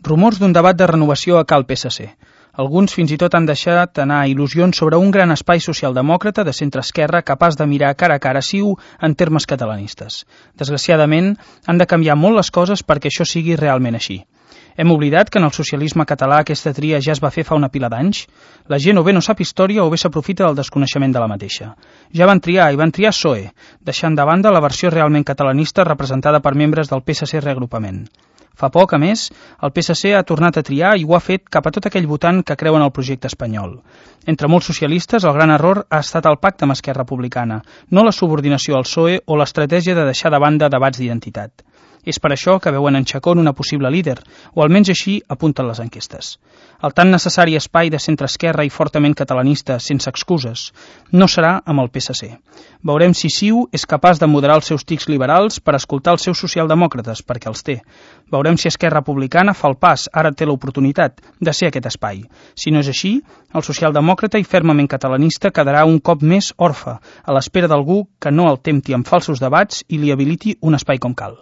Rumors d'un debat de renovació a Cal PSC. Alguns fins i tot han deixat anar il·lusions sobre un gran espai socialdemòcrata de centre-esquerra capaç de mirar cara a cara CiU en termes catalanistes. Desgraciadament, han de canviar molt les coses perquè això sigui realment així. Hem oblidat que en el socialisme català aquesta tria ja es va fer fa una pila d'anys? La gent o bé no sap història o bé s'aprofita del desconeixement de la mateixa. Ja van triar PSOE, deixant de banda la versió realment catalanista representada per membres del PSC Reagrupament. Fa poc, a més, el PSC ha tornat a triar i ho ha fet cap a tot aquell votant que creu en el projecte espanyol. Entre molts socialistes, el gran error ha estat el pacte amb Esquerra Republicana, no la subordinació al PSOE o l'estratègia de deixar de banda debats d'identitat. És per això que veuen en Chacón una possible líder, o almenys així apunten les enquestes. El tan necessari espai de centre-esquerra i fortament catalanista, sense excuses, no serà amb el PSC. Veurem si CiU és capaç de moderar els seus tics liberals per escoltar els seus socialdemòcrates, perquè els té. Veurem si Esquerra Republicana fa el pas, ara té l'oportunitat, de ser aquest espai. Si no és així, el socialdemòcrata i fermament catalanista quedarà un cop més orfe, a l'espera d'algú que no el tempti amb falsos debats i li habiliti un espai com cal.